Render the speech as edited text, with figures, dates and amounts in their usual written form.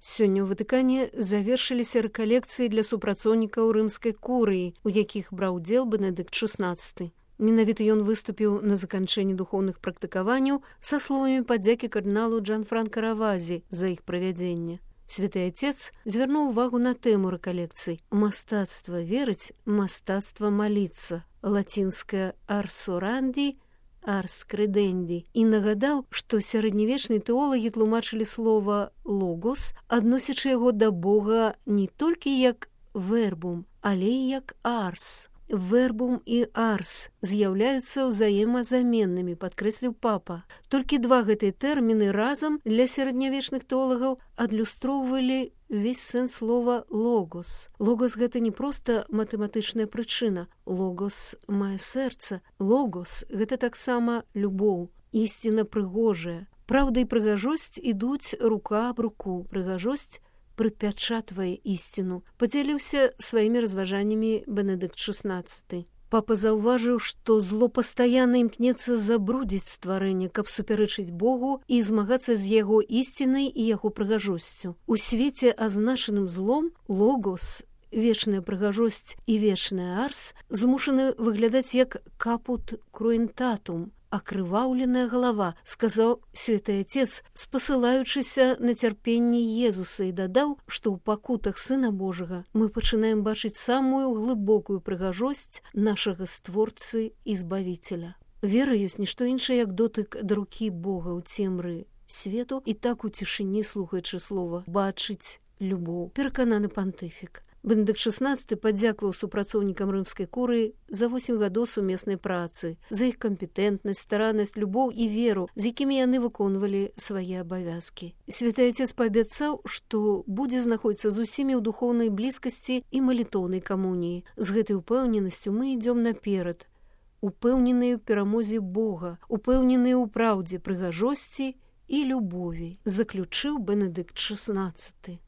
Сёння ў Ватыкане завершыліся рэкалекцыі для супрацоўнікаў рымскай курыі, у якіх браў удзел Бенедыкт XVI. Менавіта ён выступіў на заканчэнні духоўных практыкаванняў са словамі падзякі кардыналу Джанфранка Равазі за іх правядзенне. Святы Отец звярнуў увагу на тэму рэкалекцый. Мастацтва верыць, мастацтва маліцца. Лацінскае «ars orandi», «ars credendi». І нагадаў, што сярэднявечныя тэолагі тлумачылі слова «логос», адносячы яго да Бога не толькі як «вербум», але і як «арс». Вербум і арс з'яўляюцца ўзаемазаменнымі, падкрэсліў папа. Толькі два гэтыя тэрміны разам для сярэднявечных тэолагаў адлюстроўвалі увесь сэнс слова «логос». Логос – гэта не проста матэматычная прычына. Логос мае сэрца. Логос – гэта таксама любоў, ісціна прыгожая. Праўда і прыгажосць ідуць рука аб руку. Прыгажосць прыпячатвае ісціну, падзяліўся сваімі разважаннямі Бенедыкт XVI. Папа заўважыў, што зло пастаянна імкнецца забрудзіць стварэнне, каб супярэчыць Богу і змагацца з яго ісцінай і яго прыгажосцю. У свеце, азначаным злом, логос, вечная прыгажосць і вечная арс змушаны выглядаць як капут круентатум, акрываўленая галава, сказаў Святы Отец, спасылаючыся на цярпенне Езуса, і дадаў, што ў пакутах Сына Божага мы пачынаем бачыць самую глыбокую прыгажосць нашага Створцы і Збавіцеля. Вера ёсць нішто іншае, як дотык да рукі Бога ў цемры свету, і так у цішыні, слухаючы слова, бачыць любоў. Перакананы пантыфік. Бенедыкт XVI падзякаваў супрацоўнікам рымскай курыі за 8 гадоў сумеснай працы, за іх кампетэнтнасць, стараннасць, любоў і веру, з якімі яны выконвалі свае абавязкі. Святы Отец паабяцаў, што будзе знаходзіцца з усімі ў духоўнай блізкасці і малітоўнай камуніі. З гэтай упэўненасцю мы ідзём наперад, упэўненыя ў перамозе Бога, упэўненыя ў праўдзе, прыгажосці і любові, заключыў Бенедыкт XVI.